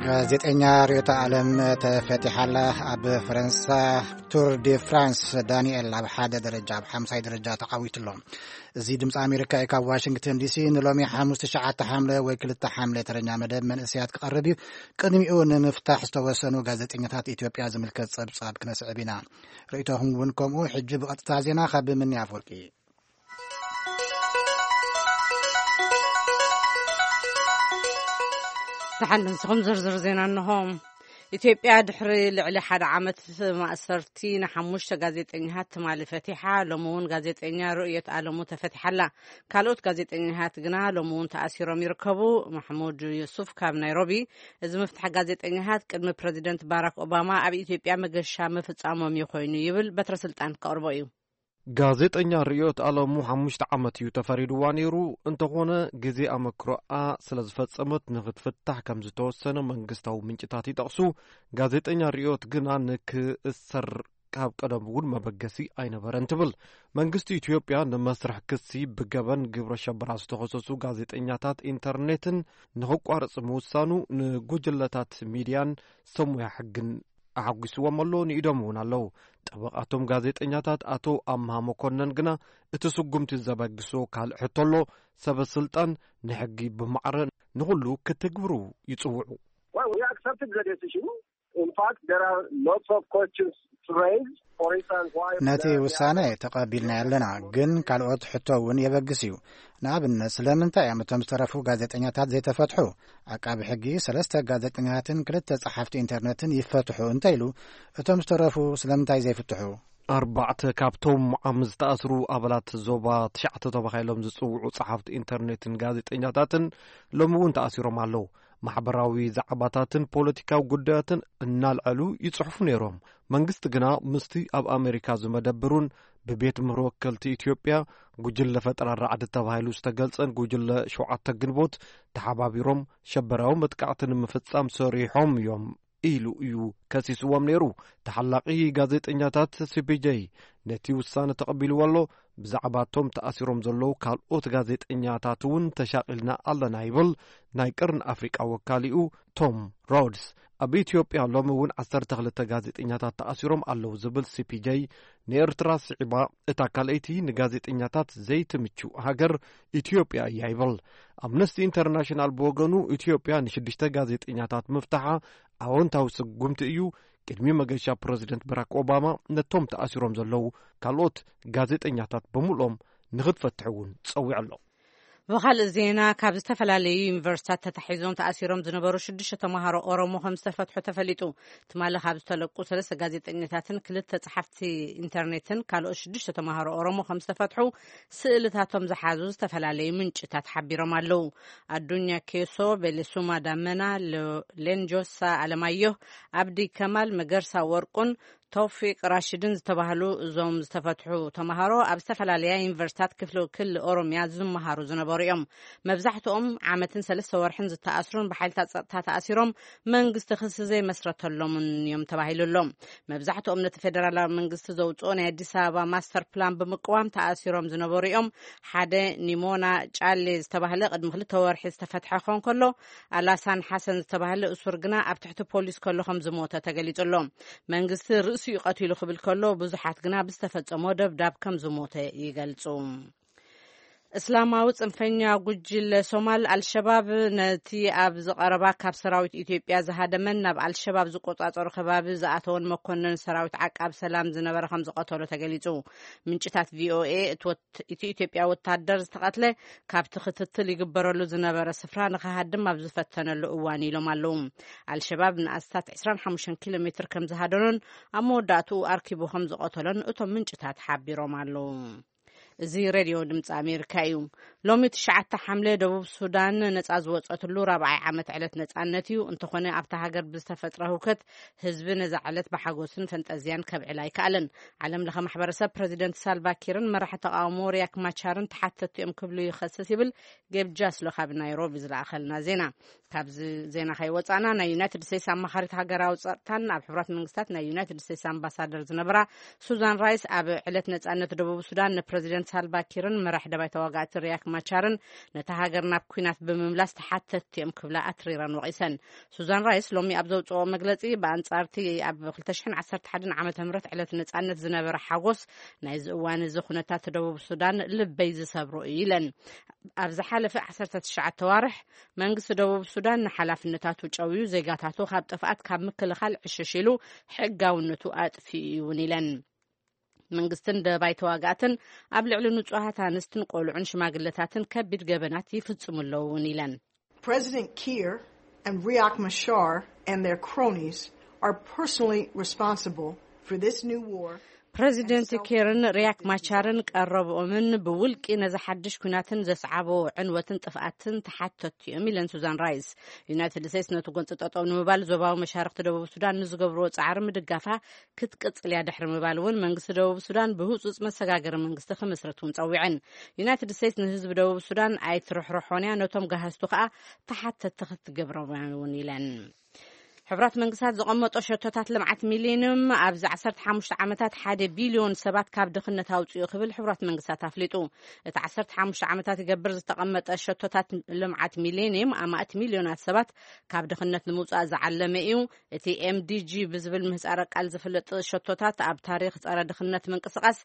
ጋዜጠኛ ርዮተ ኣለም ተፈቲሓላ። ኣብ ፈረንሳ ቱር ዲ ፍራንስ ዳንኤል ኣብ ሓደ ደረጃ፣ ኣብ ሓምሳይ ደረጃ ተዓዊቱ ኣሎ። እዚ ድምፂ ኣሜሪካ እዩ። ካብ ዋሽንግተን ዲሲ ንሎሚ ሓሙስ ትሽዓተ ሓምለ ወይ ክልተ ሓምለ ተረኛ መደብ መንእሰያት ክቐርብ እዩ። ቅድሚኡ ንምፍታሕ ዝተወሰኑ ጋዜጠኛታት ኢትዮጵያ ዝምልከት ጸብጻብ ክነስዕብ ኢና። ርእይቶኹም እውን ከምኡ። ሕጂ ብቐጥታ ዜና ካብ ምኒ ኣፈወርቂ። ደሓን ንስኹም ዝርዝር ዜና እንሆ። ኢትዮጵያ ድሕሪ ልዕሊ ሓደ ዓመት ማእሰርቲ ንሓሙሽተ ጋዜጠኛታት ትማሊ ፈቲሓ። ሎሚ እውን ጋዜጠኛ ርእዮት ኣለሙ ተፈቲሓላ። ካልኦት ጋዜጠኛታት ግና ሎሚ እውን ተኣሲሮም ይርከቡ። ማሕሙድ ዩሱፍ ካብ ናይሮቢ፣ እዚ ምፍታሕ ጋዜጠኛታት ቅድሚ ፕረዚደንት ባራክ ኦባማ ኣብ ኢትዮጵያ መገሻ ምፍጻሞም እዩ ኮይኑ ይብል በትረ ስልጣን ከቕርቦ እዩ። ጋዜጠኛ ርእዮት ኣለሙ ሓሙሽተ ዓመት እዩ ተፈሪድዋ ነይሩ። እንተኾነ ግዜ ኣመክሮኣ ስለ ዝፈጸመት ንኽትፍታሕ ከም ዝተወሰነ መንግስታዊ ምንጭታት ይጠቕሱ። ጋዜጠኛ ርእዮት ግና ንክእሰር ካብ ቀደም እውን መበገሲ ኣይነበረን ትብል። መንግስቲ ኢትዮጵያ ንመስርሕ ክሲ ብገበን ግብረ ሸበራ ዝተኸሰሱ ጋዜጠኛታት ኢንተርኔትን ንኽቋርጽ ምውሳኑ ንጉጅለታት ሚድያን ሰብ ሞያ ሕግን ኣሓጒስዎም ኣሎ፣ ንኢዶም እውን ኣለዉ። ጠበቓቶም ጋዜጠኛታት ኣቶ ኣምሃ መኮነን ግና እቲ ስጉምቲ ዘበግሶ ካልእ ሕቶ ኣሎ። ሰበ ስልጣን ንሕጊ ብማዕረ ንኹሉ ክትግብሩ ይጽውዑ። Well, we accepted the decision. In fact, there are lots of questions to raise. For instance, why ነቲ ውሳነ ተቐቢልና ኣለና፣ ግን ካልኦት ሕቶ እውን የበግስ እዩ። ንኣብነት፣ ስለምንታይ እዮም እቶም ዝተረፉ ጋዜጠኛታት ዘይተፈትሑ? ዓቃቢ ሕጊ ሰለስተ ጋዜጠኛታትን ክልተ ጸሓፍቲ ኢንተርነትን ይፈትሑ እንተ ኢሉ፣ እቶም ዝተረፉ ስለምንታይ ዘይፍትሑ? ኣርባዕተ ካብቶም ዓም ዝተኣስሩ ኣባላት ዞባ ትሽዓተ ተባሂሎም ዝጽውዑ ጸሓፍቲ ኢንተርኔትን ጋዜጠኛታትን ሎሚ እውን ተኣሲሮም ኣለዉ። ማሕበራዊ ዛዕባታትን ፖለቲካዊ ጉዳያትን እናልዐሉ ይጽሕፉ ነይሮም። መንግስቲ ግና ምስቲ ኣብ ኣሜሪካ ዝመደብሩን ብቤት ምህሮ ወከልቲ ኢትዮጵያ ጉጅለ ፈጠራ ራዕዲ ተባሂሉ ዝተገልጸን ጉጅለ ሸውዓተ ግንቦት ተሓባቢሮም ሸበራዊ መጥቃዕቲ ንምፍጻም ሰሪሖም እዮም ኢሉ እዩ ከሲስዎም ነይሩ። ተሓላቒ ጋዜጠኛታት ሲ ፒ ጄ ነቲ ውሳነ ተቐቢልዎ ኣሎ። ብዛዕባ እቶም ተኣሲሮም ዘለዉ ካልኦት ጋዜጠኛታት እውን ተሻቒልና ኣለና ይብል ናይ ቀርኒ ኣፍሪቃ ወካሊኡ ቶም ሮድስ። ኣብ ኢትዮጵያ ሎሚ እውን ዓሰርተ ክልተ ጋዜጠኛታት ተኣሲሮም ኣለዉ ዝብል ሲ ፒ ጄ፣ ንኤርትራ ስዒባ እታ ካልኣይቲ ንጋዜጠኛታት ዘይትምቹ ሃገር ኢትዮጵያ እያ ይብል። ኣምነስቲ ኢንተርናሽናል ብወገኑ፣ ኢትዮጵያ ንሽዱሽተ ጋዜጠኛታት ምፍታሓ ኣወንታዊ ስጉምቲ እዩ። ቅድሚ መገሻ ፕረዚደንት ባራክ ኦባማ ነቶም ተኣሲሮም ዘለዉ ካልኦት ጋዜጠኛታት ብምልኦም ንኽትፈትሕ እውን ጸዊዑ ኣሎ። ብኻልእ ዜና፣ ካብ ዝተፈላለዩ ዩኒቨርሲታት ተታሒዞም ተኣሲሮም ዝነበሩ ሽዱሽተ ተምሃሮ ኦሮሞ ከም ዝተፈትሑ ተፈሊጡ። ትማሊ ካብ ዝተለቁ ሰለስተ ጋዜጠኛታትን ክልተ ጸሓፍቲ ኢንተርኔትን ካልኦት ሽዱሽተ ተምሃሮ ኦሮሞ ከም ዝተፈትሑ ስእልታቶም ዝሓዙ ዝተፈላለዩ ምንጭታት ሓቢሮም ኣለዉ። ኣዱኛ ኬሶ፣ ቤሌሱማ ዳመና፣ ሎ-፣ ሌንጆሳ ኣለማየሁ፣ ኣብዲ ከማል፣ መገርሳ ወርቁን ቶፊቅ ራሽድን ዝተባህሉ እዞም ዝተፈትሑ ተምሃሮ ኣብ ዝተፈላለያ ዩኒቨርሲታት ክፍለ ክልል ኦሮሚያ ዝመሃሩ ዝነበሩ እዮም። መብዛሕትኦም ዓመትን ሰለስተ ወርሕን ዝተኣስሩን ብሓይልታት ጸጥታ ተኣሲሮም መንግስቲ ክሲ ዘይመስረተሎምን እዮም ተባሂሉ ኣሎ። መብዛሕትኦም ነቲ ፌደራላዊ መንግስቲ ዘውጽኦ ናይ ኣዲስ ኣበባ ማስተር ፕላን ብምቅዋም ተኣሲሮም ዝነበሩ እዮም። ሓደ ኒሞና ጫሌ ዝተባህለ ቅድሚ ክልተ ወርሒ ዝተፈትሐ ክኸውን ከሎ፣ ኣላሳን ሓሰን ዝተባህለ እሱር ግና ኣብ ትሕቲ ፖሊስ ከሎ ከም ዝሞተ ተገሊጹ ኣሎ። መንግስቲ ርእሲኡ ቀቲሉ ክብል ከሎ፣ ብዙሓት ግና ብዝተፈጸሞ ደብዳብ ከም ዝሞተ ይገልጹ። እስላማዊ ጽንፈኛ ጉጅለ ሶማል ኣልሸባብ ነቲ ኣብ ዝቐረባ ካብ ሰራዊት ኢትዮጵያ ዝሃደመን ናብ ኣልሸባብ ዝቆጻጸሩ ከባቢ ዝኣተወን መኮነን ሰራዊት ዓቃብ ሰላም ዝነበረ ከም ዝቐተሎ ተገሊጹ። ምንጭታት ቪ ኦ ኤ፣ እቲ ወት-፣ እቲ ኢትዮጵያ ወታደር ዝተቐትለ ካብቲ ክትትል ይግበረሉ ዝነበረ ስፍራ ንኽሃድም ኣብ ዝፈተነሉ እዋን ኢሎም ኣለዉ። ኣልሸባብ ንኣስታት ዕስራን ሓሙሽተን ኪሎ ሜትር ከም ዝሃደኖን ኣብ መወዳእትኡ ኣርኪቡ ከም ዝቐተሎን እቶም ምንጭታት ሓቢሮም ኣለዉ። እዚ ሬድዮ ድምፂ ኣሜሪካ እዩ። ሎሚ ትሽዓተ ሓምለ ደቡብ ሱዳን ነፃ ዝወፀትሉ ራብዓይ ዓመት ዕለት ነፃነት እዩ። እንተኾነ ኣብታ ሃገር ብዝተፈጥረ ህውከት ህዝቢ ነዛ ዕለት ብሓጎስን ፈንጠዝያን ከብዕል ኣይከኣለን። ዓለም ለኸ ማሕበረሰብ ፕረዚደንት ሳልቫ ኪርን መራሒ ተቃውሞ ሪያክ ማቻርን ተሓተትቲ እዮም ክብሉ ይኸስስ ይብል ጌብ ጃስሎ ካብ ናይሮቢ ዝለኣኸልና ዜና። ካብዚ ዜና ከይወፃና ናይ ዩናይትድ ስቴትስ ኣማኻሪት ሃገራዊ ፀጥታን ኣብ ሕቡራት መንግስታት ናይ ዩናይትድ ስቴትስ ኣምባሳደር ዝነበራ ሱዛን ራይስ ኣብ ዕለት ነፃነት ደቡብ ሱዳን ንፕረዚደንት ሳልቫ ኪርን መራሕ ደባይ ተዋጋእቲ ሪያክ ማቻርን ነታ ሃገር ናብ ኲናት ብምምላስ ተሓተትቲ እዮም ክብላ ኣትሪረን ወቒሰን። ሱዛን ራይስ ሎሚ ኣብ ዘውፅኦ መግለፂ፣ ብኣንፃርቲ ኣብ ክልተ ሽሕን ዓሰርተ ሓደን ዓመተ ምህረት ዕለት ነፃነት ዝነበረ ሓጎስ፣ ናይዚ እዋን እዚ ኩነታት ደቡብ ሱዳን ልበይ ዝሰብሮ እዩ ኢለን። ኣብ ዝሓለፈ ዓሰርተ ትሽዓተ ዋርሕ መንግስቲ ደቡብ ሱዳን ንሓላፍነታቱ ጨውዩ፣ ዜጋታቱ ካብ ጥፍኣት ካብ ምክልኻል ዕሽሽ ኢሉ፣ ሕጋውነቱ ኣጥፊኡ እውን ኢለን። መንግስትን ደባይ ተዋጋእትን ኣብ ልዕሊ ንጹሃት ኣንስትን ቆልዑን ሽማግለታትን ከቢድ ገበናት ይፍጽሙ ኣለዉ እውን ኢለን። President Kiir and Riek Machar and their cronies are personally responsible for this new war. ፕረዚደንት ኪርን ሪያክ ማቻርን ቀረብኦምን ብውልቂ ነዚ ሓድሽ ኩናትን ዘስዓቦ ዕንወትን ጥፍኣትን ተሓተትቲ እዮም ኢለን ሱዛን ራይስ። ዩናይትድ ስቴትስ ነቲ ጎንፂ ጠጠው ንምባል ዞባዊ መሻርክቲ ደቡብ ሱዳን ንዝገብርዎ ፃዕሪ ምድጋፋ ክትቅፅል እያ ድሕሪ ምባል እውን መንግስቲ ደቡብ ሱዳን ብህፁፅ መሰጋገሪ መንግስቲ ክምስርት እውን ፀዊዐን። ዩናይትድ ስቴትስ ንህዝቢ ደቡብ ሱዳን ኣይትርሕርሖን እያ፣ ነቶም ጋህዝቱ ከዓ ተሓተትቲ ክትገብሮም እውን ኢለን። ሕቡራት መንግስታት ዘቐመጦ ሸቶታት ልምዓት ሚሌኒየም ኣብዚ ዓሰርተ ሓሙሽተ ዓመታት ሓደ ቢልዮን ሰባት ካብ ድኽነት ኣውፅኡ ክብል ሕቡራት መንግስታት ኣፍሊጡ። እቲ ዓሰርተ ሓሙሽተ ዓመታት ይገብር ዝተቐመጠ ሸቶታት ልምዓት ሚሌኒየም ኣማእት ሚልዮናት ሰባት ካብ ድኽነት ንምውፃእ ዝዓለመ እዩ። እቲ M D G ብዝብል ምህፃረ ቃል ዝፍለጥ ሸቶታት ኣብ ታሪኽ ፀረ ድኽነት ምንቅስቃስ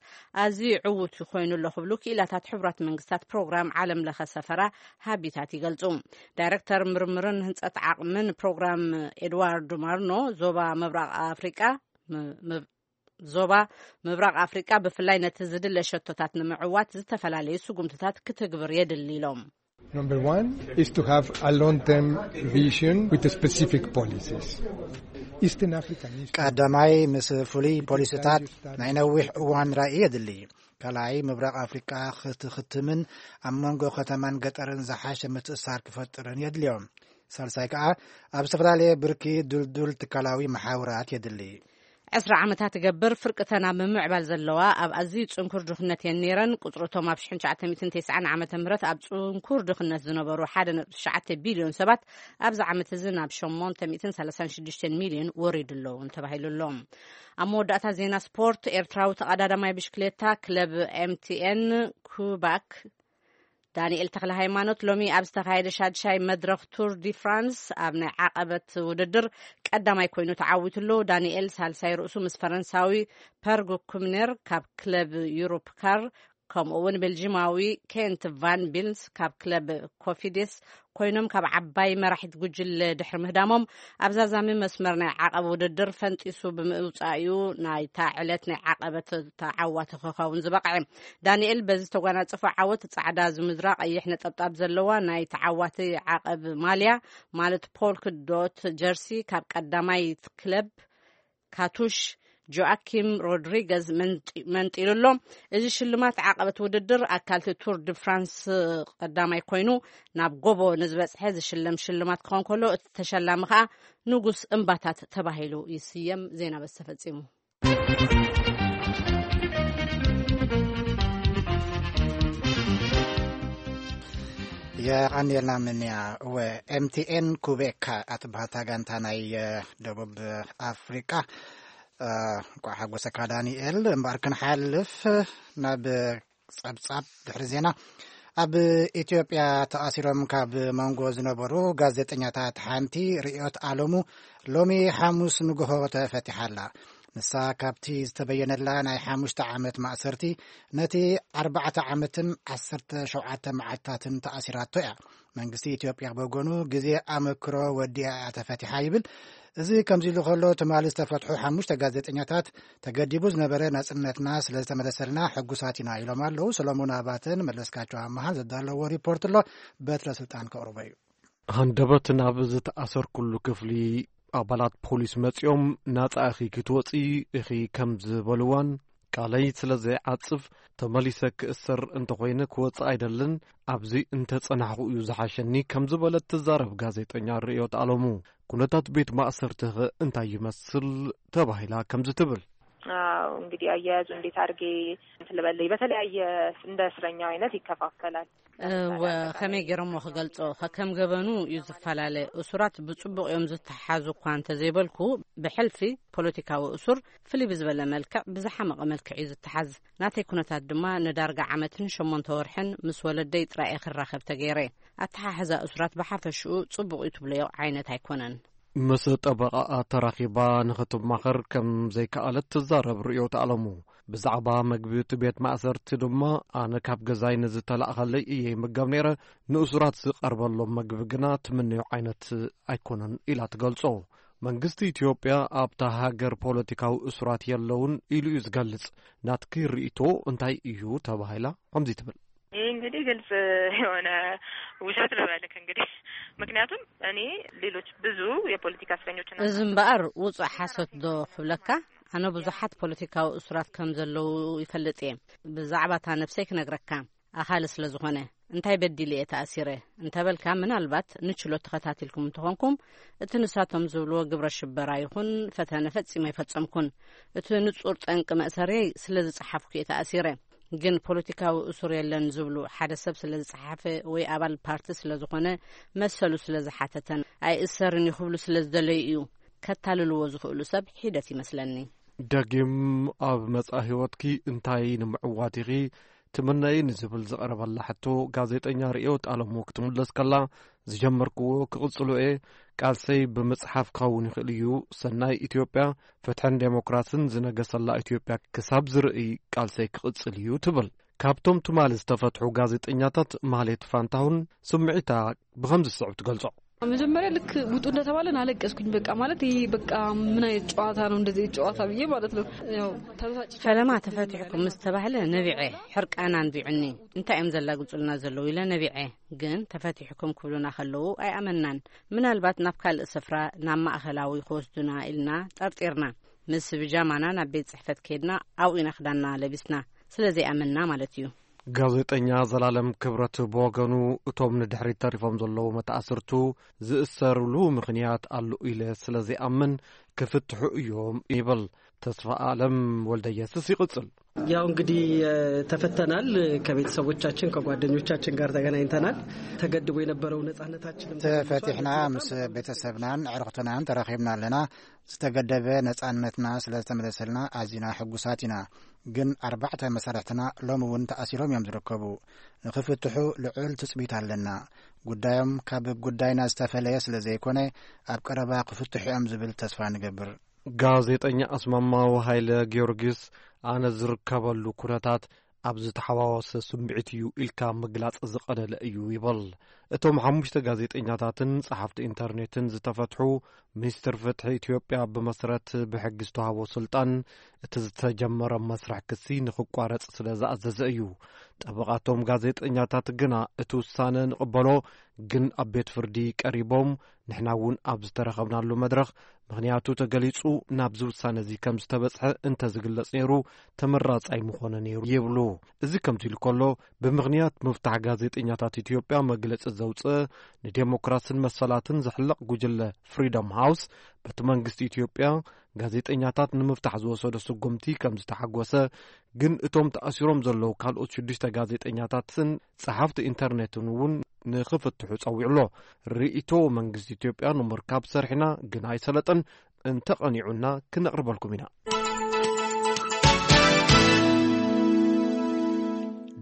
ኣዝዩ ዕዉት ኮይኑ ኣሎ ክብሉ ክኢላታት ሕቡራት መንግስታት ፕሮግራም ዓለም ለኸ ሰፈራ ሃቢታት ይገልጹ። ዳይሬክተር ምርምርን ህንጸት ዓቕምን ፕሮግራም ኤድዋርድ ማርኖ፣ ዞባ ምብራቕ ኣፍሪቃ ም- ም- ዞባ ምብራቕ ኣፍሪቃ ብፍላይ ነቲ ዝድለ ሸቶታት ንምዕዋት ዝተፈላለዩ ስጉምትታት ክትግብር የድሊ ኢሎም። Number one is to have a long-term vision with specific policies. Eastern Africa needs to ቀዳማይ፣ ምስ ፍሉይ ፖሊሲታት ናይ ነዊሕ እዋን ራእይ የድሊ። ካልኣይ፣ ምብራቕ ኣፍሪቃ ክትኽትምን ኣብ መንጎ ከተማን ገጠርን ዝሓሸ ምትእሳር ክፈጥርን የድልዮም። ሳልሳይ ከኣ፣ ኣብ ዝተፈላለየ ብርኪ ድልዱል ትካላዊ መሓውራት የድሊ። ዕስራ ዓመታት ይገብር፣ ፍርቅተን ኣብ ምምዕባል ዘለዋ ኣብ ኣዝዩ ጽንኩር ድኽነት እየን ነይረን። ቁጽሪ እቶም ኣብ ሽሕን ትሽዓተ ሚእትን ተስዓን ዓመተ ምህረት ኣብ ጽንኩር ድኽነት ዝነበሩ ሓደ ነጥቢ ትሽዓተ ቢልዮን ሰባት ኣብዚ ዓመት እዚ ናብ ሸሞንተ ሚእትን ሰላሳን ሽዱሽተን ሚልዮን ወሪዱ ኣሎ እውን ተባሂሉ ኣሎ። ኣብ መወዳእታ ዜና ስፖርት፣ ኤርትራዊ ተቐዳዳማይ ብሽክሌታ ክለብ M T N ኩባክ ዳንኤል ተኽለ ሃይማኖት ሎሚ ኣብ ዝተኻየደ ሻድሻይ መድረኽ ቱር ዲ ፍራንስ ኣብ ናይ ዓቐበት ውድድር ቀዳማይ ኮይኑ ተዓዊቱ ኣሎ። ዳንኤል ሳልሳይ ርእሱ ምስ ፈረንሳዊ ፐርግ ኩምነር ካብ ክለብ ዩሮፕ ካር፣ ከምኡ እውን ቤልጂማዊ ኬንት ቫን ቢልስ ካብ ክለብ ኮፊዴስ ኮይኖም ካብ ዓባይ መራሒት ጉጅለ ድሕሪ ምህዳሞም፣ ኣብ ዛዛሚ መስመር ናይ ዓቐብ ውድድር ፈንጢሱ ብምውጻእ እዩ ናይታ ዕለት ናይ ዓቐበት ተዓዋቲ ክኸውን ዝበቕዐ። ዳንኤል በዚ ዝተጓናጸፎ ዓወት ጻዕዳ ዝምድራ ቀይሕ ነጠብጣብ ዘለዋ ናይ ተዓዋቲ ዓቐብ ማልያ ማለት ፖልክ ዶት ጀርሲ ካብ ቀዳማይ ክለብ ካቱሽ ጆኣኪም ሮድሪገዝ መንጢ- መንጢሉ ኣሎ። እዚ ሽልማት ዓቐበት ውድድር ኣካልቲ ቱር ዲ ፍራንስ ቀዳማይ ኮይኑ ናብ ጎቦ ንዝበጽሐ ዝሽለም ሽልማት ክኸውን ከሎ፣ እቲ ተሸላሚ ከኣ ንጉስ እምባታት ተባሂሉ ይስየም። ዜና በዚ ተፈጺሙ። የቐንየልና ምንያ። እወ፣ M T N ኩቤካ ኣትበሃል እታ ጋንታ ናይ ደቡብ ኣፍሪቃ። እንኳዕ ሓጎሰካ ዳንኤል። እምበኣር ክንሓልፍ ናብ ጸብጻብ ድሕሪ ዜና። ኣብ ኢትዮጵያ ተኣሲሮም ካብ መንጎ ዝነበሩ ጋዜጠኛታት ሓንቲ ርእዮት ኣለሙ ሎሚ ሓሙስ ንግሆ ተፈቲሓ ኣላ። ንሳ ካብቲ ዝተበየነላ ናይ ሓሙሽተ ዓመት ማእሰርቲ ነቲ ኣርባዕተ ዓመትን ዓሰርተ ሸውዓተ መዓልታትን ተኣሲራቶ እያ። መንግስቲ ኢትዮጵያ ብወገኑ ግዜ ኣመክሮ ወዲኣ እያ ተፈቲሓ ይብል። እዚ ከምዚ ኢሉ ከሎ፣ ትማሊ ዝተፈትሑ ሓሙሽተ ጋዜጠኛታት ተገዲቡ ዝነበረ ናጽነትና ስለ ዝተመለሰልና ሕጉሳት ኢና ኢሎም ኣለዉ። ሰሎሞን ኣባተን መለስካቸው ኣመሃን ዘዳለዎ ሪፖርት ኣሎ፣ በትረ ስልጣን ከቕርቦ እዩ። ሃንደበት ናብ ዝተኣሰርኩሉ ክፍሊ ኣባላት ፖሊስ መጺኦም፣ "ናጻ ኢኺ ክትወጺ ኢኺ" ከም ዝበልዋን፣ "ቃለይ ስለ ዘይዓጽፍ ተመሊሰ ክእሰር እንተኾይነ ክወጽእ ኣይደልን፣ ኣብዚ እንተጸናሕኹ እዩ ዝሓሸኒ" ከም ዝበለት ትዛረብ ጋዜጠኛ ርእዮት ኣለሙ። ኩነታት ቤት ማእሰርትኸ እንታይ ይመስል ተባሂላ ከምዚ ትብል። አዎ፣ እንግዲህ አያያዙ እንዴት አድርጌ እንትን ልበልህ፣ በተለያየ እንደ እስረኛው አይነት ይከፋፈላል። ለምሳሌ ወ-፣ አጠቃላይ ከመይ ገይሮሞ ክገልጾ? ከከም ገበኑ እዩ ዝፈላለ። እሱራት ብጽቡቕ እዮም ዝተሓዙ እኳ እንተዘይበልኩ፣ ብሕልፊ ፖለቲካዊ እሱር ፍልይ ብዝበለ መልክዕ፣ ብዝሓመቐ መልክዕ እዩ ዝተሓዝ። ናተይ ኩነታት ድማ ንዳርጋ ዓመትን ሸሞንተ ወርሕን ምስ ወለደይ ጥራይ እየ ክራኸብ ተገይረ። ኣተሓሕዛ እሱራት ብሓፈሽኡ ጽቡቕ እዩ ትብለዮ ዓይነት ኣይኮነን። ምስ ጠበቓኣ ተራኺባ ንኽትማኸር ከም ዘይከኣለት ትዛረብ ርእዮት ኣለሙ። ብዛዕባ መግቢ እቲ ቤት ማእሰርቲ ድማ፣ ኣነ ካብ ገዛይ ንዝተላእኸለይ እየ ይምገብ ነይረ። ንእሱራት ዝቐርበሎም መግቢ ግና ትምነዮ ዓይነት ኣይኮነን ኢላ ትገልጾ። መንግስቲ ኢትዮጵያ ኣብታ ሃገር ፖለቲካዊ እሱራት የለውን ኢሉ እዩ ዝገልጽ። ናትኪ ርእይቶ እንታይ እዩ ተባሂላ ከምዚ ትብል። ይህ እንግዲህ ግልጽ የሆነ ውሸት ልበልክ እንግዲህ፣ ምክንያቱም እኔ ሌሎች ብዙ የፖለቲካ እስረኞችን እዚ እምበኣር ውጹእ ሓሶት ዶ ክብለካ? ኣነ ብዙሓት ፖለቲካዊ እሱራት ከም ዘለዉ ይፈልጥ እየ። ብዛዕባ እታ ነብሰይ ክነግረካ፣ ኣኻሊ ስለ ዝኾነ። እንታይ በዲል እየ ተኣሲረ እንተበልካ፣ ምናልባት ንችሎት ተኸታቲልኩም እንተኾንኩም፣ እቲ ንሳቶም ዝብልዎ ግብረ ሽበራ ይኹን ፈተነ ፈጺመ ኣይፈጸምኩን። እቲ ንጹር ጠንቂ መእሰርየይ ስለ ዝጸሓፍኩ እየ ተኣሲረ። ግን ፖለቲካዊ እሱር የለን ዝብሉ፣ ሓደ ሰብ ስለ ዝጸሓፈ ወይ ኣባል ፓርቲ ስለ ዝኾነ፣ መሰሉ ስለ ዝሓተተን ኣይእሰርን እዩ ክብሉ ስለ ዝደለዩ እዩ። ከታልልዎ ዝኽእሉ ሰብ ሒደት ይመስለኒ። ደጊም ኣብ መጻኢ ህይወትኪ እንታይ ንምዕዋት ኢኺ ትምነዪ ንዝብል ዝቐረበላ ሕቶ፣ ጋዜጠኛ ርእዮት ኣለሙ ክትምለስ ከላ፣ ዝጀመርክዎ ክቕጽሎ እየ። ቃልሰይ ብምጽሓፍ ክኸውን ይኽእል እዩ። ሰናይ ኢትዮጵያ፣ ፍትሕን ዴሞክራስን ዝነገሰላ ኢትዮጵያ ክሳብ ዝርእይ ቃልሰይ ክቕጽል እዩ ትብል። ካብቶም ትማሊ ዝተፈትሑ ጋዜጠኛታት ማህሌት ፋንታሁን ስምዒታ ብኸምዚ ዝስዕብ ትገልጾ። መጀመሪያ ልክ ውጡ እንደተባለን አለቀስኩኝ። በቃ ማለት ይሄ በቃ ምን አይነት ጨዋታ ነው እንደዚህ ጨዋታ ብዬ ማለት ነው። ያው ተበሳጭ ፈለማ ተፈቲሕኩም ምስ ተባህለ ነቢዐ፣ ሕርቃን ኣንቢዑኒ። እንታይ እዮም ዘላግጹልና ዘለዉ ኢለ ነቢዐ። ግን ተፈቲሕኩም ክብሉና ከለዉ ኣይኣመናን። ምናልባት ናብ ካልእ ስፍራ፣ ናብ ማእከላዊ ክወስዱና ኢልና ጠርጢርና። ምስ ብጃማና ናብ ቤት ጽሕፈት ከይድና ኣብኡ ኢና ክዳንና ለቢስና። ስለ ዘይኣመንና ማለት እዩ። ጋዜጠኛ ዘላለም ክብረት ብወገኑ፣ እቶም ንድሕሪት ተሪፎም ዘለዉ መተኣስርቱ ዝእሰርሉ ምኽንያት ኣሎ ኢለ ስለ ዘይኣምን ክፍትሑ እዮም ይብል። ተስፋ ኣለም ወልደየስስ ይቕጽል። ያው እንግዲህ ተፈተናል። ከቤተሰቦቻችን ከጓደኞቻችን ጋር ተገናኝተናል። ተገድቦ የነበረው ነጻነታችንም ተፈቲሕና፣ ምስ ቤተሰብናን ኣዕሩኽትናን ተራኺብና ኣለና። ዝተገደበ ነጻነትና ስለ ዝተመለሰልና ኣዚና ሕጉሳት ኢና። ግን ኣርባዕተ መሳርሕትና ሎም እውን ተኣሲሮም እዮም ዝርከቡ። ንኽፍትሑ ልዑል ትጽቢት ኣለና። ጉዳዮም ካብ ጉዳይና ዝተፈለየ ስለ ዘይኮነ፣ ኣብ ቀረባ ክፍትሑ እዮም ዝብል ተስፋ ንገብር። ጋዜጠኛ ኣስማማው ሃይለ ጊዮርጊስ፣ ኣነ ዝርከበሉ ኩነታት ኣብ ዝተሓዋወሰ ስምዒት እዩ ኢልካ ምግላጽ ዝቐለለ እዩ ይብል። እቶም ሓሙሽተ ጋዜጠኛታትን ጸሓፍቲ ኢንተርኔትን ዝተፈትሑ፣ ሚኒስትር ፍትሒ ኢትዮጵያ ብመሰረት ብሕጊ ዝተዋህቦ ስልጣን እቲ ዝተጀመረ መስርሕ ክሲ ንኽቋረጽ ስለ ዝኣዘዘ እዩ። ጠበቓቶም ጋዜጠኛታት ግና እቲ ውሳነ ንቕበሎ፣ ግን ኣብ ቤት ፍርዲ ቀሪቦም፣ ንሕና እውን ኣብ ዝተረኸብናሉ መድረኽ ምኽንያቱ ተገሊጹ ናብዚ ውሳነ እዚ ከም ዝተበጽሐ እንተ ዝግለጽ ነይሩ፣ ተመራጻይ ምኾነ ነይሩ ይብሉ። እዚ ከምዚ ኢሉ ከሎ፣ ብምኽንያት ምፍታሕ ጋዜጠኛታት ኢትዮጵያ መግለጺ ዘውጽእ፣ ንዴሞክራስን መሰላትን ዝሕለቕ ጉጅለ ፍሪደም ሃውስ፣ በቲ መንግስቲ ኢትዮጵያ ጋዜጠኛታት ንምፍታሕ ዝወሰዶ ስጉምቲ ከም ዝተሓጎሰ፣ ግን እቶም ተኣሲሮም ዘለዉ ካልኦት ሽዱሽተ ጋዜጠኛታትን ጸሓፍቲ ኢንተርኔትን እውን ንኽፍትሑ ጸዊዑ ኣሎ። ርእይቶ መንግስቲ ኢትዮጵያ ንምርካብ ሰርሕና፣ ግን ኣይሰለጠን። እንተቐኒዑና ክነቕርበልኩም ኢና።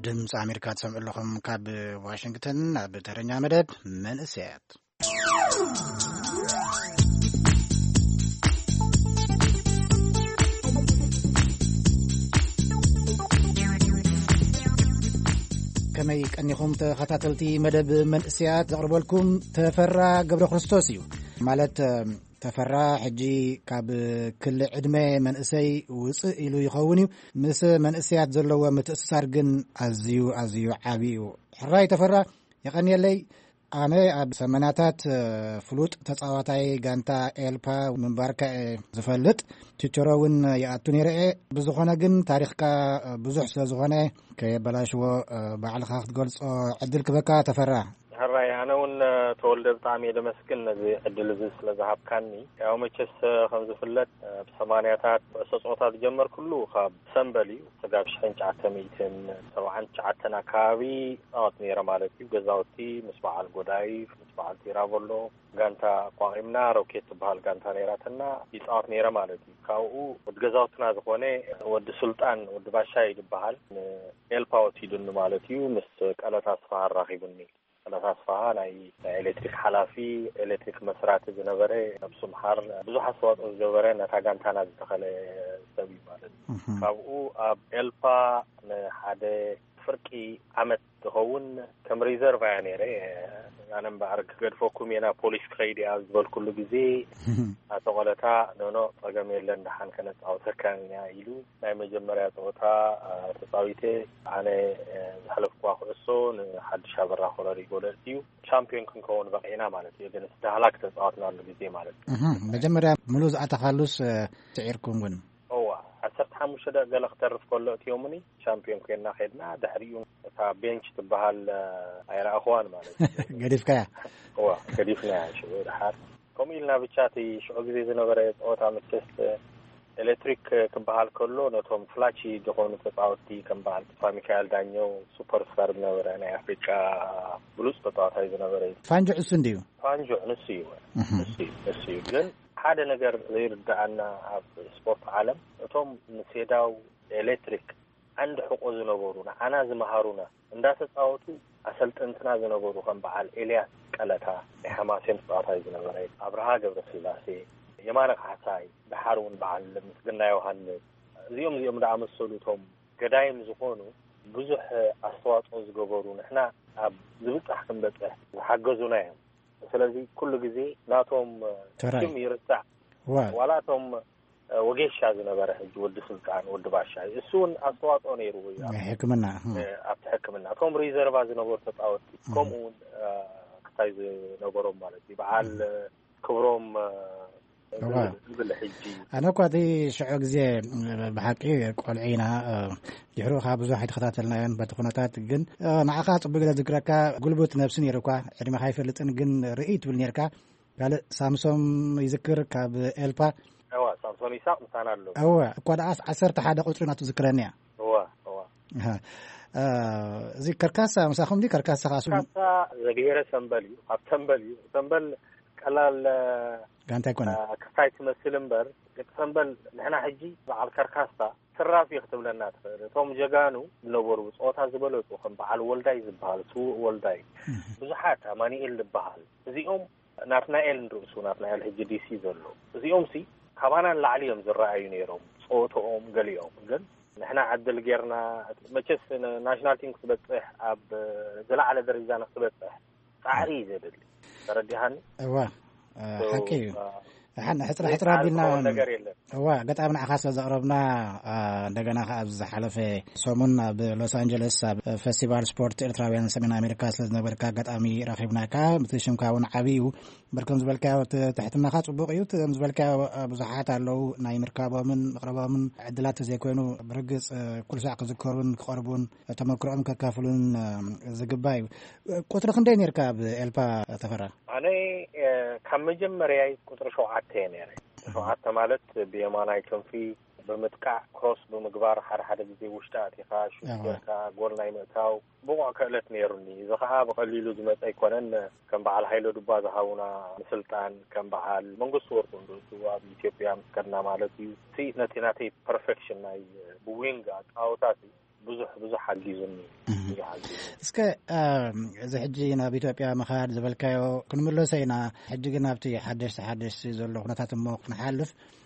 ድምፂ ኣሜሪካ ትሰምዑ ኣለኹም። ካብ ዋሽንግተን ናብ ተረኛ መደብ መንእሰያት። ከመይ ቀኒኹም ተኸታተልቲ መደብ መንእሰያት? ዘቕርበልኩም ተፈራ ገብረ ክርስቶስ እዩ። ማለት ተፈራ ሕጂ ካብ ክሊ ዕድመ መንእሰይ ውፅእ ኢሉ ይኸውን እዩ። ምስ መንእሰያት ዘለዎ ምትእስሳር ግን ኣዝዩ ኣዝዩ ዓቢ እዩ። ሕራይ ተፈራ፣ የቐንየለይ። ኣነ ኣብ ሰመናታት ፍሉጥ ተጻዋታይ ጋንታ ኤልፓ ምንባርካ እየ ዝፈልጥ። ችቸሮ እውን ይኣቱ ነይረ እየ። ብዝኾነ ግን ታሪኽካ ብዙሕ ስለ ዝኾነ ከየበላሽዎ ባዕልኻ ክትገልጾ ዕድል ክበካ ተፈራ። ሕራይ፣ ኣነ እውን ተወልደ፣ ብጣዕሚ እየ ደመስግን ነዚ ዕድል እዚ ስለ ዝሃብካኒ። ያው መቸስ ከም ዝፍለጥ ኣብ ሰማንያታት ኩዕሶ ጸወታ ዝጀመርኩሉ ካብ ሰምበል እዩ። ስጋብ ሽሕን ትሽዓተ ሚእትን ሰብዓን ትሽዓተን ኣካባቢ ይጻወት ነይረ ማለት እዩ። ገዛውቲ ምስ በዓል ጎዳይፍ፣ ምስ በዓል ቲራቮሎ ጋንታ ኣቋቒምና፣ ሮኬት ትበሃል ጋንታ ነይራትና፣ ይጻወት ነይረ ማለት እዩ። ካብኡ ወዲ ገዛውትና ዝኾነ ወዲ ሱልጣን፣ ወዲ ባሻይ ዝበሃል፣ ንኤልፓ ወሲዱኒ ማለት እዩ። ምስ ቀለታ ኣስፋሃ ኣራኺቡኒ። ቀለታ ኣስፋሃ ናይ፣ ናይ ኤሌክትሪክ ሓላፊ፣ ኤሌክትሪክ መስራቲ ዝነበረ፣ ነብሱ ምሓር፣ ብዙሕ ኣስተዋጽኦ ዝገበረ፣ ነታ ጋንታና ዝተኸለ ሰብ እዩ ማለት እዩ። እህ። ካብኡ ኣብ ኤልፓ ንሓደ ፍርቂ ዓመት ዝኸውን ከም ሪዘርቭ እያ ነይረ። ኣነ እምበኣር ክገድፈኩም እየ ናብ ፖሊስ ክኸይድ እያ ዝበልኩሉ ግዜ፣ ኣቶ ቆለታ፣ ኖኖ፣ ጸገም የለን፣ ደሓን ከነጻውተካ ኢና ኢሉ ናይ መጀመርያ ጸወታ፣ አ፣ ተጻዊተ። ኣነ፣ አ፣ ዝሓለፍኩዋ ኩዕሶ ንሓድሽ ኣበራ ኮረሪ ጎለልቲ እዩ። ሻምፒዮን ክንከውን በቂዕና ማለት እዩ። ግን ዳህላክ ተጻወትናሉ ግዜ ማለት እዩ። እህ፣ መጀመርያ ምሉእ ዝኣተኻሉስ፣ እ፣ ስዒርኩም ግን? እዋ፣ ዓሰርተ ሓሙሽተ ደቂቕ ገለ ክተርፍ ከሎ እትዮምኒ፣ ሻምፒዮን ኮይና ኸድና። ድሕሪኡ እታ ቤንች ትበሃል ኣይረኣኽዋን ማለት እዩ። ገዲፍካያ? እዋ፣ ገዲፍናያ ሽዑ ድሓር። ከምኡ ኢልና ብቻ እቲ ሽዑ ግዜ ዝነበረ ጸወታ መቸስ ኤሌክትሪክ ክበሃል ከሎ፣ ነቶም ፍላቺ ዝኾኑ ተጻወትቲ ከም በዓል ተስፋ ሚካኤል ዳኘው፣ ሱፐርስታር ዝነበረ፣ ናይ ኣፍሪቃ ብሉጽ ተጻዋታይ ዝነበረ እዩ። ፋንጆ እሱ እንድዩ? ፋንጆ ንሱ እዩ። እህ። ንሱ እዩ፣ ንሱ እዩ። ግን ሓደ ነገር ዘይርድኣና ኣብ ስፖርት ዓለም፣ እቶም ንሴዳው ኤሌክትሪክ ዓንዲ ሕቆ ዝነበሩ፣ ንዓና ዝመሃሩና፣ እንዳተጻወቱ ኣሰልጠንትና ዝነበሩ፣ ከም በዓል ኤልያስ ቀለታ፣ ናይ ሓማሴን ተጻዋታይ ዝነበረ፣ ኣብርሃ ገብረስላሴ፣ የማነ ካሕሳይ፣ ደሓር እውን በዓል ምስግና ዮሃንስ፣ እዚኦም፣ እዚኦም ዝኣመሰሉ እቶም ገዳይም ዝኾኑ ብዙሕ ኣስተዋጽኦ ዝገበሩ፣ ንሕና ኣብ ዝብጻሕ ክንበጽሕ ዝሓገዙና እዮም። ስለዚ ኩሉ ግዜ ናቶም ተራይ። ስም ይርሳዕ። ዋ። ዋላ እቶም፣ እ፣ ወጌሻ ዝነበረ ሕጂ ወዲ ስልጣን፣ ወዲ ባሻይ፣ እሱ እውን ኣስተዋጽኦ ነይርዎ እዩ። ናይ ሕክምና፣ እም። እ፣ ኣብቲ ሕክምና። እቶም ሪዘርቫ ዝነበሩ ተጻወትቲ፣ እም። ከምኡ እውን፣ እ፣ ክታይ ዝነበሮም ማለት እዩ። በዓል፣ እም። እ፣ ክብሮም፣ እ፣ እዋ። ዝብል፣ ዝብል ሕጂ። ኣነ እኳ እቲ ሽዑ ግዜ፣ እ፣ ብሓቂ ቆልዑ ኢና፣ እ፣ ድሕሩ ከዓ ብዙሕ ኣይተኸታተልናዮን በቲ ኩነታት። ግን፣ እ፣ ንዓኻ ጽቡቅ ገለ ዝክረካ፣ ጉልቡት ነብሲ ነይሩ እኳ፣ ዕድሜኻ ኣይፈልጥን፣ ግን ርእይ ትብል ነይርካ። ካልእ ሳምሶም ይዝክር ካብ ኤልፓ። እዋ፣ ሳምሶም ይስሐቅ ምሳና ኣሎ። እዋ፣ እኳ ደኣስ ዓሰርተ ሓደ ቁጽሪ ናቱ ዝክረኒ እያ። እዋ፣ እዋ። ኣሃ። እ፣ እዚ ከርካሳ ምሳኹም ድዩ? ከርካሳ ኻሱ ከርካሳ ዘግሄረ ሰምበል እዩ። ኣብ ሰምበል እዩ። ሰምበል ቀላል፣ እ፣ ጋንታ ኣይኮነን። እ፣ ክስታይ ትመስል እምበር፣ ደቂ ሰምበል ንሕና ሕጂ በዓል ከርካሳ ትራፊ ክትብለና ትኽእል። እቶም ጀጋኑ ዝነበሩ ብጾታ ዝበለጹ ከም በዓል ወልዳይ ዝበሃል፣ ስዉእ ወልዳይ፣ እህ። ብዙሓት፣ ኣማኑኤል ዝበሃል፣ እዚኦም፣ ናትናኤል ንርእሱ፣ ናትናኤል ሕጂ ዲሲ ዘሎ፣ እዚኦም ሲ ካባና ንላዕሊ እዮም ዝረኣዩ ነይሮም፣ ጸወተኦም ገሊኦም። ግን ንሕና ዕድል ጌርና፣ መቸስ ን-፣ ናሽናል ቲም ክትበጽሕ፣ ኣብ ዝለዓለ ደረጃ ንክትበጽሕ ጻዕሪ እዩ ዘድሊ። ተረዲሃኒ? እዋ፣ እ፣ ሶ፣ ሓቂ እዩ። እ፣ ሓን ሕጽራ ዘይጻዕሪ ሕጽራ ኣቢልና ዝኸውን ነገር የለን። እዋ፣ ኣጋጣሚ ንዓኻ ስለ ዘቕረብና፣ እ፣ እንደገና ከኣ ኣብዚ ዝሓለፈ ሰሙን ኣብ ሎስ ኣንጀለስ ኣብ ፈስቲቫል ስፖርት ኤርትራውያን ሰሜን ኣሜሪካ ስለ ዝነበርካ ኣጋጣሚ ረኺብናካ፣ እቲ ሽምካ እውን ዓቢ እዩ። እምበር ከም ዝበልካዮ እቲ ትሕትናኻ ጽቡቕ እዩ። እቲ ከም ዝበልካዮ፣ እ፣ ብዙሓት ኣለዉ ናይ ምርካቦምን ምቕረቦምን ዕድላት ተዘይኮይኑ ብርግጽ፣ እ፣ ኩሉ ሳዕ ክዝከሩን ክቐርቡን ተመክሮኦም ከካፍሉን፣ እ፣ ዝግባእ እዩ። ቁጽሪ ክንደይ ነርካ ኣብ ኤልፓ ተፈራ? ኣነ፣ እ፣ ካብ መጀመርያይ ቁጽሪ ሸውዓተ እየ ነይረ። ሸውዓተ ማለት ብየማናይ ክንፊ ብምጥቃዕ፣ ክሮስ ብምግባር፣ ሓደ ሓደ ግዜ ውሽጢ ኣቲኻ ሹት ኣዋ። ጌርካ ጎል ናይ ምእታው ብቑዕ ክእለት ነይሩኒ። እዚ ኸኣ ብቐሊሉ ዝመጸ ኣይኮነን። ከም በዓል ሃይለ ዱባ ዝሃቡና ምስልጣን፣ ከም በዓል መንግስቱ ወርቁ ንርእሱ ኣብ ኢትዮጵያ ምስ ከድና ማለት እዩ። እቲ ነቲ ናተይ ፐርፌክሽን ናይ ብዊንግ ኣጻወታ እቲ ብዙሕ፣ ብዙሕ ሓጊዙኒ። እህ። ብዙሕ ሓጊዙኒ። እስከ፣ ኣም፣ እዚ ሕጂ ናብ ኢትዮጵያ ምኻድ ዝበልካዮ ክንምለሶ ኢና። ሕጂ ግን ኣብቲ ሓደሽቲ፣ ሓደሽቲ ዘሎ ኩነታት እሞ ክንሓልፍ።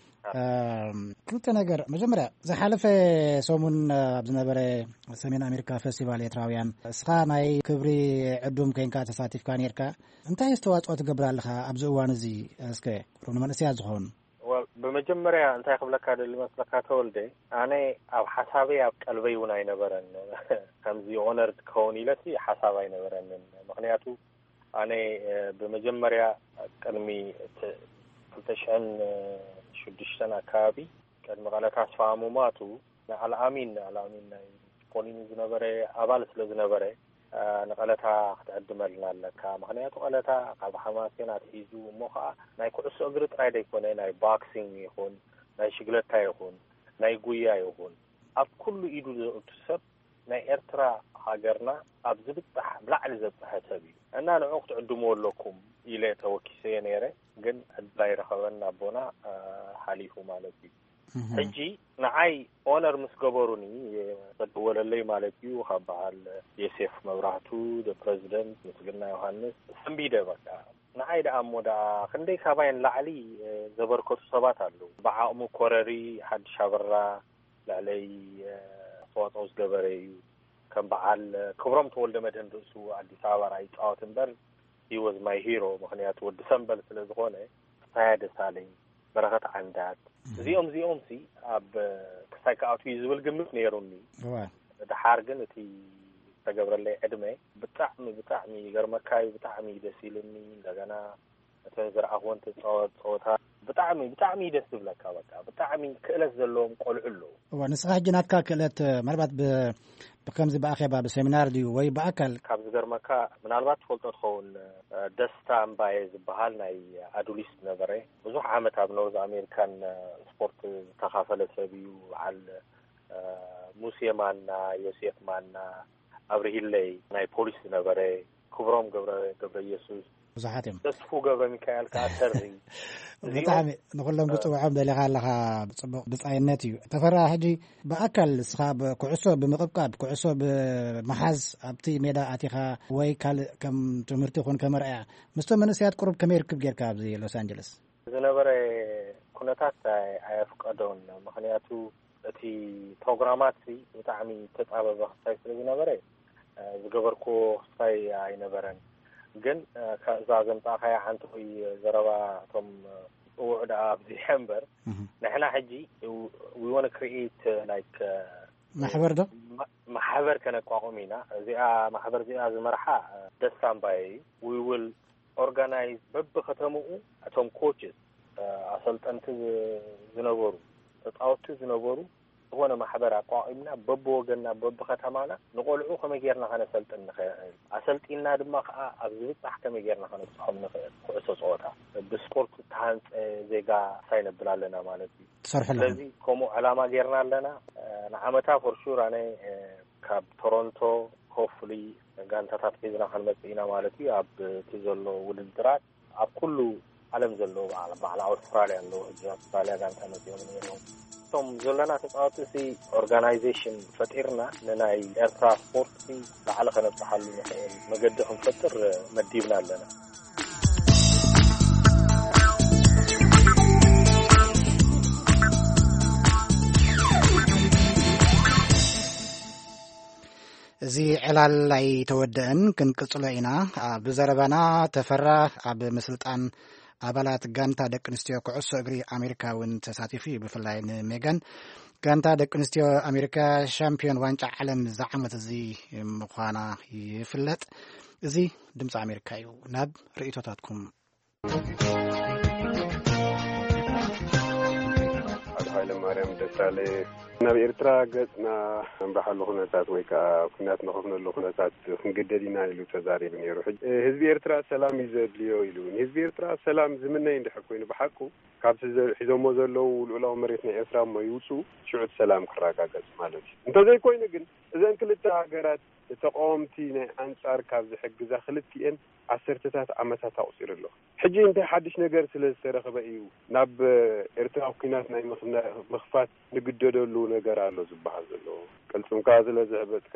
ኣም፣ ክልተ ነገር። መጀመርያ፣ ዝሓለፈ ሰሙን ኣብ ዝነበረ ሰሜን ኣሜሪካ ፈስቲቫል ኤርትራውያን፣ እስኻ ናይ ክብሪ ዕዱም ኮይንካ ተሳቲፍካ ነርካ። እንታይ ኣስተዋጽኦ ትገብር ኣለኻ ኣብዚ እዋን እዚ? እስከ፣ ቁሩብ ንመንእሰያት ዝኸውን። ወል፣ ብመጀመርያ እንታይ ክብለካ ደሊ መስለካ ተወልደ፣ ኣነ ኣብ ሓሳበይ ኣብ ቀልበይ እውን ኣይነበረን ከምዚ ኦነርድ ክኸውን ኢለሲ ሓሳብ ኣይነበረንን። ምኽንያቱ ኣነ፣ እ፣ ብመጀመርያ ቅድሚ እቲ ክልተ ሽሕን ሽዱሽተን ኣካባቢ፣ ቅድሚ ቀለታ ኣስፋሃ ምሟቱ፣ ንኣልኣሚን፣ ኣልኣሚን ናይ ፖሊኒ ዝነበረ ኣባል ስለ ዝነበረ፣ ንቐለታ ክትዕድመልና ኣለካ። ምኽንያቱ ቀለታ ካብ ሓማሴን ኣትሒዙ እሞ ኸዓ ናይ ኩዕሶ እግሪ ጥራይ ዘይኮነ፣ ናይ ቦክሲንግ ይኹን፣ ናይ ሽግለታ ይኹን፣ ናይ ጉያ ይኹን፣ ኣብ ኩሉ ኢዱ ዘእቱ ሰብ ናይ ኤርትራ ሃገርና ኣብ ዝብጻሕ ብላዕሊ ዘብጽሐ ሰብ እዩ እና ንዑ ክትዕድምዎ ኣለኩም ኢለ ተወኪሰዮ ነይረ። ግን ዕድል ኣይረኸበን ኣቦና፣ ሓሊፉ ማለት እዩ። ሕጂ ንዓይ ኦነር ምስ ገበሩኒ፣ ተደወለለይ ማለት እዩ፣ ካብ በዓል ዮሴፍ መብራህቱ፣ ፕረዚደንት፣ ምስግና ዮሃንስ፣ ሰንቢደ በቃ። ንዓይ ደኣ እሞ ደኣ ክንደይ ካባይ ንላዕሊ ዘበርከቱ ሰባት ኣለዉ። ብዓቕሙ ኮረሪ፣ ሓድሽ ኣበራ ልዕለይ ኣስተዋፅኦ ዝገበረ እዩ። ከም በዓል ክብሮም ተወልደ መድህን ርእሱ ኣዲስ ኣበባ ርኣ ይፃወት እምበር፣ he was my hero። ምኽንያቱ ወዲ ሰምበል ስለ ዝኾነ፣ ሳያ ደሳለኝ፣ በረኸት ዓንዳት፣ እዚኦም እዚኦም ሲ ኣብ ክስታይ ክኣትዉ እዩ ዝብል ግምት ነይሩኒ። ድሓር ግን እቲ ዝተገብረለይ ዕድመ ብጣዕሚ ብጣዕሚ ይገርመካ እዩ። ብጣዕሚ እዩ ደስ ኢሉኒ። እንደገና እተን ዝረኣኽወን ትፃወት ፀወታ ብጣዕሚ ብጣዕሚ እዩ ደስ ዝብለካ። በቃ ብጣዕሚ ክእለት ዘለዎም ቆልዑ ኣለዉ። እዋ፣ ንስኻ ሕጂ ናትካ ክእለት፣ ምናልባት ብ-፣ ብከምዚ ብኣኼባ ብሴሚናር ድዩ ወይ ብኣካል? ካብ ዝገርመካ፣ ምናልባት ትፈልጦ ትኸውን፣ ደስታ እምባየ ዝበሃል ናይ ኣዱሊስ ነበረ። ብዙሕ ዓመት ኣብ ኖርዝ ኣሜሪካን ስፖርት ዝተኻፈለ ሰብ እዩ። በዓል ሙሴ ማና፣ ዮሴፍ ማና፣ ኣብርሂለይ ናይ ፖሊስ ዝነበረ፣ ክብሮም ገብረ፣ ገብረ ኢየሱስ፣ ብዙሓት እዮም። ተስፉ ገብረ ሚካኤል ከኣ ተሪ። እዚኦም፣ ብጣዕሚ ንኹሎም እ፣ ክጽውዖም ደሊኻ ኣለኻ። ጽቡቕ ብጻይነት እዩ። ተፈራ፣ ሕጂ ብኣካል ንስኻ ብኩዕሶ ብምቕብቃብ፣ ኩዕሶ ብምሓዝ ኣብቲ ሜዳ ኣቲኻ ወይ ካልእ ከም ትምህርቲ ይኹን ከም ኣርኣያ ምስቶም መንእሰያት ቁሩብ ከመይ ርክብ ጌርካ ኣብዚ ሎስ ኣንጀለስ? ዝነበረ ኩነታት ኣይ-፣ ኣየፍቀዶን። ምኽንያቱ እቲ ፕሮግራማት ሲ ብጣዕሚ ተጻበበ ክስታይ ስለ ዝነበረ፣ እ፣ ዝገበርክዎ ክስታይ ኣይነበረን። ግን፣ እ፣ ከ-፣ እዛ ዘምጻእካያ ሓንቲ ወይ ዘረባ እቶም፣ እ፣ ጽውዕ ደኣ ኣብዚሐ እምበር፣ እህ። ንሕና ሕጂ we wanna create, እ፣ like፣ እ፣ ማሕበር ዶ? ማ-፣ ማሕበር ከነቋቁም ኢና። እዚኣ ማሕበር እዚኣ ዝመርሓ፣ እ፣ ደስታ እምባየ እዩ። We will organize በብከተምኡ እቶም ኮችስ፣ እ፣ ኣሰልጠንቲ ዝ-፣ ዝነበሩ፣ ተጻወትቲ ዝነበሩ ዝኾነ ማሕበር ኣቋቒምና በብወገንና በብከተማና ንቆልዑ ከመይ ጌርና ከነሰልጥን ንኽእል፣ ኣሰልጢንና ድማ ከኣ ኣብ ዝብጻሕ ከመይ ጌርና ከነብጽሖም ንኽእል፣ ኩዕሶ ጸወታ ብስፖርት ዝተሃንጸ ዜጋ ሳይ ነብል ኣለና ማለት እዩ። ትሰርሑ ኣለኹም? ስለዚ ከምኡ ዕላማ ጌርና ኣለና። እ፣ ንዓመታ for sure ኣነ፣ እ፣ ካብ ቶሮንቶ hopefully ጋንታታት ሒዝና ክንመጽእ ኢና ማለት እዩ። ኣብ እቲ ዘሎ ውድድራት ኣብ ኩሉ ዓለም ዘለዉ በዓል፣ በዓል ኣውስትራልያ ኣለዉ። ሕጂ ኣውስትራልያ ጋንታ መጺኦም ነይሮም። እቶም ዘለና ተጻወቲ ሲ ኦርጋናይዜሽን ፈጢርና ንናይ ኤርትራ ስፖርት ሲ ላዕሊ ከነብጽሓሉ ንኽእል መገዲ ክንፈጥር መዲብና ኣለና። እዚ ዕላል ኣይተወደአን፣ ክንቅጽሎ ኢና። ኣብ ዘረባና ተፈራ ኣብ ምስልጣን ኣባላት ጋንታ ደቂ ኣንስትዮ ኩዕሶ እግሪ ኣሜሪካ እውን ተሳቲፉ እዩ። ብፍላይ ንሜጋን ጋንታ ደቂ ኣንስትዮ ኣሜሪካ ሻምፒዮን ዋንጫ ዓለም እዚ ዓመት እዚ ምዃና ይፍለጥ። እዚ ድምፂ ኣሜሪካ እዩ። ናብ ርእይቶታትኩም። ኣቶ ሃይለማርያም ደሳለ፣ ናብ ኤርትራ ገጽና እምብሓሉ ኩነታት ወይ ከኣ ኲናት ንኸፍነሉ ኩነታት ክንግደድ ኢና ኢሉ ተዛሪቡ ነይሩ። ሕጂ፣ ህዝቢ ኤርትራ ሰላም እዩ ዘድልዮ ኢሉ። ንህዝቢ ኤርትራ ሰላም ዝምነ እንድሕር ኮይኑ ብሓቁ፣ ካብቲ ዘ-፣ ሒዞሞ ዘለዉ ልኡላዊ መሬት ናይ ኤርትራ እሞ ይውጽኡ፣ ሽዑ እቲ ሰላም ክረጋገጽ ማለት እዩ። እንተዘይኮይኑ ግን፣ እዘን ክልተ ሃገራት ተቃወምቲ ናይ ኣንጻር ካብ ዝሕግዛ ክልቲኤን ዓሰርተታት ዓመታት ኣቑጺሩ ኣሎ። ሕጂ እንታይ ሓድሽ ነገር ስለ ዝተረኽበ እዩ ናብ ኤርትራ ኲናት ናይ ምኽና-፣ ምኽፋት ንግደደሉ ነገር ኣሎ ዝበሃል ዘሎ? ቅልጽምካ ስለ ዘዕበጥካ፣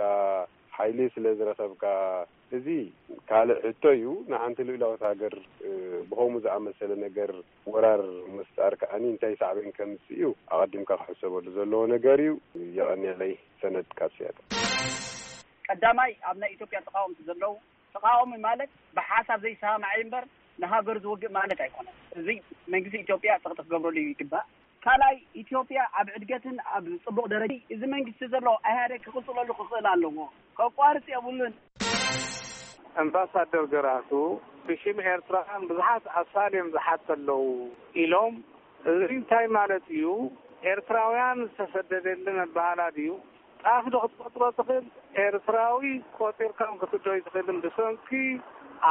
ሓይሊ ስለ ዝረኸብካ፣ እዚ ካልእ ሕቶ እዩ። ንሓንቲ ልኡላዊት ሃገር፣ እ፣ ብኸምኡ ዝኣመሰለ ነገር ወራር ምፍጣር ከኣኒ እንታይ ሳዕቤን ከምጽእ እዩ ኣቐዲምካ ክሕሰበሉ ዘለዎ ነገር እዩ። የቐንየለይ። ሰነድ ካብ ሲያትል። ቀዳማይ ኣብ ናይ ኢትዮጵያ ተቃወምቲ ዘለዉ፣ ተቃዋሚ ማለት ብሓሳብ ዘይሰማማዕ እምበር ንሃገሩ ዝወግእ ማለት ኣይኮነን። እዚ መንግስቲ ኢትዮጵያ ጸቕጢ ክገብረሉ ይግባእ። ካልኣይ፣ ኢትዮጵያ ኣብ ዕድገትን ኣብ ጽቡቕ ደረጃ፣ እዚ መንግስቲ ዘሎ ኢህኣዴግ ክቕጽለሉ ክኽእል ኣለዎ። ከቋርጽ የብሉን። ኣምባሳደር ገራህቱ፣ ብሽም ኤርትራውያን ብዙሓት ኣሳልዮም ዝሓቱ ኣለዉ ኢሎም፣ እዚ እንታይ ማለት እዩ? ኤርትራውያን ዝተሰደደለን ኣበሃህላ ድዩ? ጣፍ ዶ ክትቆጥሮ ትኽእል? ኤርትራዊ ቆጢርካም ክትዶ ኣይትኽእልን፣ ብሰንኪ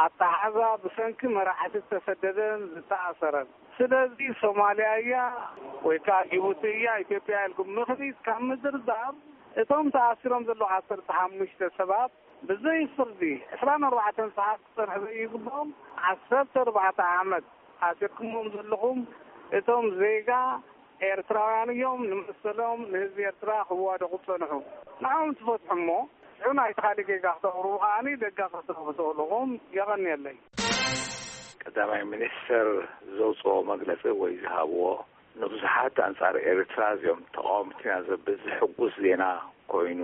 ኣተሓዛ፣ ብሰንኪ መራሕቲ ዝተሰደደን ዝተኣሰረን። ስለዚ ሶማልያ እያ ወይ ከዓ ጅቡቲ እያ፣ ኢትዮጵያ ኢልኩም ምኽኒት ካብ ምድርዳር፣ እቶም ተኣሲሮም ዘለዉ ዓሰርተ ሓሙሽተ ሰባት ብዘይ ፍርዲ ዕስራን ኣርባዕተን ሰዓት ክጸንሑ ዘይግብኦም፣ ዓሰርተ ኣርባዕተ ዓመት ኣሲርኩሞም ዘለኹም እቶም ዜጋ ኤርትራውያን እዮም። ንመሰሎም ንህዝቢ ኤርትራ ክዋደቑ ጸንሑ። ንዕኦም ትፈትሑ እሞ፣ ሽዑ ናይቲ ካልእ ጌጋ ክተቕርቡ ከኣኒ ደጋ ክትረኽቡ ትኽእሉ ኢኹም። የቐንየለይ። ቀዳማይ ሚኒስተር ዘውፅኦ መግለፂ ወይ ዝሃብዎ ንብዙሓት ኣንጻር ኤርትራ እዚኦም ተቃወምትና ዘብል ዝሕጉስ ዜና ኮይኑ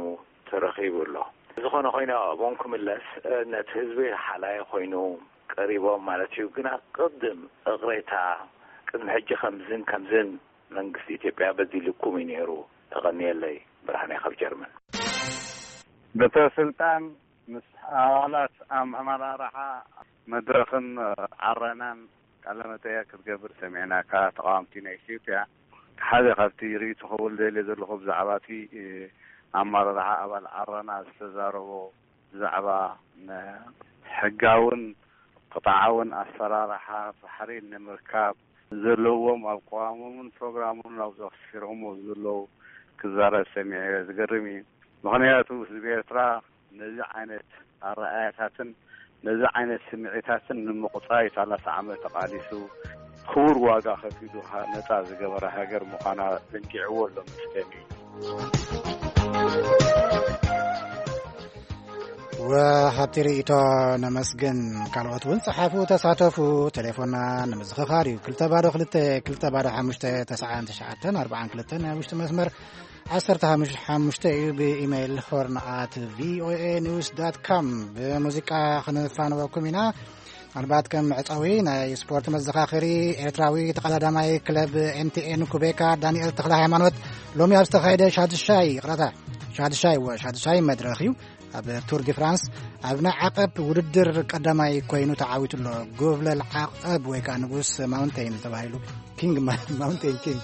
ተረኺቡ ኣሎ። ዝኾነ ኮይኑ፣ ኣብኦም ክምለስ፣ ነቲ ህዝቢ ሓላይ ኮይኑ ቀሪቦም ማለት እዩ። ግና ቅድም እቕሬታ፣ ቅድሚ ሕጂ ከምዝን ከምዝን መንግስቲ ኢትዮጵያ በዲልኩም እዩ ነይሩ። ተቐንየለይ። ብርሃነ ካብ ጀርመን። በትረ ስልጣን ምስ ኣባላት ኣመራርሓ መድረኽን ዓረናን ቃለ መጠየቅ ክትገብር ሰሚዕናካ። ተቃወምቲ ናይ ኢትዮጵያ ሓደ ካብቲ ርእይቶ ክብል ደልየ ዘለኹ ብዛዕባ እቲ ኣመራርሓ ኣባል ዓረና ዝተዛረቦ ብዛዕባ ሕጋውን ቅጥዓውን ኣሰራርሓ ባሕሪ ንምርካብ ዘለዎም ኣብ ቅዋሞምን ፕሮግራሞምን ኣብ ዘኽሲሮሞ ዘለዉ ክዛረብ ሰሚዐ። ዝገርም እዩ። ምኽንያቱ ህዝቢ ኤርትራ ነዚ ዓይነት ኣረኣያታትን ነዚ ዓይነት ስምዒታትን ንምቁጻይ ሰላሳ ዓመት ተቓሊሱ ክቡር ዋጋ ከፊሉ ሃ-፣ ነጻ ዝገበረ ሃገር ምዃና ዘንጊዕዎ ኣሎ መስለኒ። ወሃብቲ ርእይቶ ነመስግን። ካልኦት እውን ጸሓፉ፣ ተሳተፉ። ቴሌፎንና ንምዝኽኻር እዩ። ክልተ ባዶ ክልተ፣ ክልተ ባዶ ሓሙሽተ፣ ተስዓን ትሽዓተን ኣርባዓን ክልተን ናይ ውሽጢ መስመር ዓሰርተ ሓሙሽተ እዩ። ብኢሜይል ሆርን ኣት ቪኦኤ ኒውስ ዳት ካም። ብሙዚቃ ክንፋንወኩም ኢና። ምናልባት ከም መዕጸዊ ናይ ስፖርት መዘኻኸሪ፣ ኤርትራዊ ተቐዳዳማይ ክለብ ኤምቲኤን ኩቤካ ዳንኤል ተኽለ ሃይማኖት ሎሚ ኣብ ዝተኻየደ ሻዱሻይ፣ ይቕረታ፣ ሻዱሻይ፣ ወ-፣ ሻዱሻይ መድረኽ እዩ። ኣብ ቱር ዲ ፍራንስ ኣብ ናይ ዓቐብ ውድድር ቀዳማይ ኮይኑ ተዓዊቱ ኣሎ። ጎብለል ዓቐብ ወይ ከዓ ንጉስ ማውንቴን ተባሂሉ፣ ኪንግ ማ-፣ ማውንቴን ኪንግ፣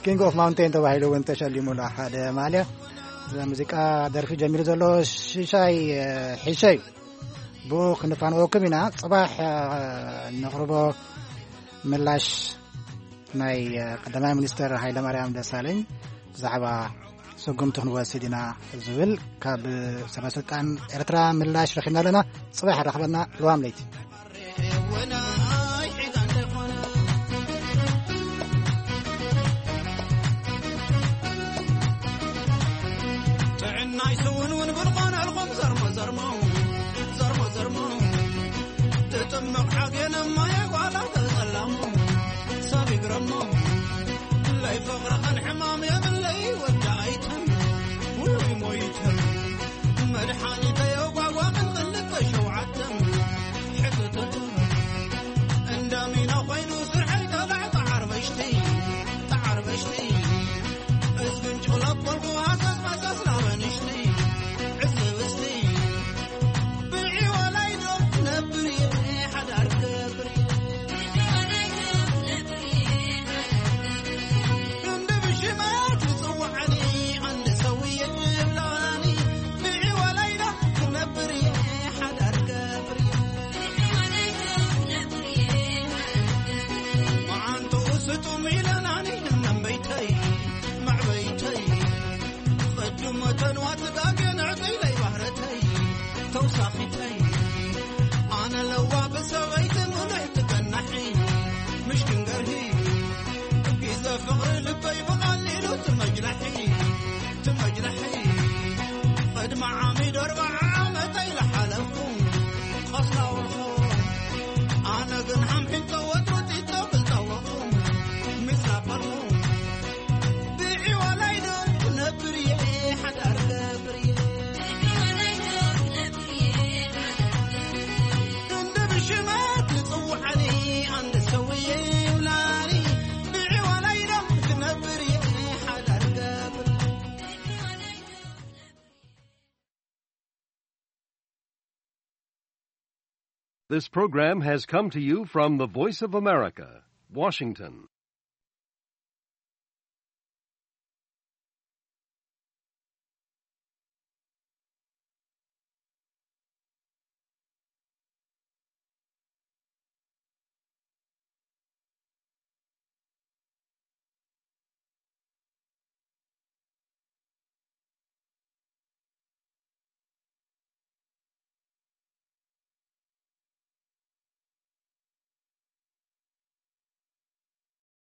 ኪንግ ኦፍ ማውንቴን ተባሂሉ እውን ተሸሊሙ ኣሎ ሓደ ማልያ። እዛ ሙዚቃ ደርፊ ጀሚሩ ዘሎ ሽሻይ፣ እ፣ ሒሸ እዩ። ብኡ ክንፋንወኩም ኢና። ጽባሕ፣ እ፣ ነቕርቦ ምላሽ ናይ፣ እ፣ ቀዳማይ ሚኒስተር ሃይለማርያም ደሳለኝ ብዛዕባ ስጉምቲ ክንወስድ ኢና ዝብል ካብ ሰበ ስልጣን ኤርትራ ምላሽ ረኺብና ኣለና። ጽባሕ ራኸበና። ልዋም ለይቲ። ጥዕናይ ስውንውን ብልኾነልኹም ዘርሞ ዘርሞ፣ ዘርሞ ዘርሞ። ትጥምቕ ሓጌነ ማየ ጓላ ተጸላሞ፣ ሰብ ይግረሞ። ለይ ፍቕርኸን ሕማም የብለይ ወዲ ኣይተም፣ ውይ ሞይተም። መድሓኒተይ ኣጓጓቕን ክልተ ሸውዓተም፣ ሕትትት። እንዳሚና ኮይኑ ስርሐይ ተላዕ ተዓርበሽቲ፣ ተዓርበሽቲ። እዝግን ጭለቆልኩ ሃሰስ መሰስ ናበንሽቲ፣ ዕስብስቲ። ብዒ ወላይ ዶ ነብር እየ ሓዳር ገብር እየ። ክንዲ ብሽመት ይጽውዓኒ፣ ኣንድ ሰውዬ ይብላኒ። ብዒ ወላይ ዶ ክነብር እየ ሓዳር ገብር እየ። መዓንጥኡ ስጡም ኢለናኒ እነምበይተይ፣ መዕበይተይ። ቅድመ ተንዋ ትጋገ ንዕቀይለይ ባህረተይ፣ ተውሳኺተይ። ኣነ ለዋ ብሰበይቲ ምሉሕ ትገናሒ፣ ምሽ ክንገርሂ። ግዜ ፍቕሪ ልበይ ብቐሊሉ ትመጅላሒ፣ ትመጅላሒ። ቅድሚ ዓሚ ደርባ ዓመተይ ለሓለፍኩም፣ ኸስላ ወርኹ። ኣነ ግን ሓምሒቶ ወትሩ ጢጦ ክልጠወኹም፣ ሚስ ላበልኹም። ብዒ ወላይ ዶ ክነብር እየ ሓዳር ገብር እየ። ክንዲ ብሽመት ይጽውዓኒ፣ ኣንድ ሰውዬ ይብላኒ። ብዒ ወላይ ዶ ክነብር እየ ሓዳር ገብር። This program has come to you from the Voice of America, Washington.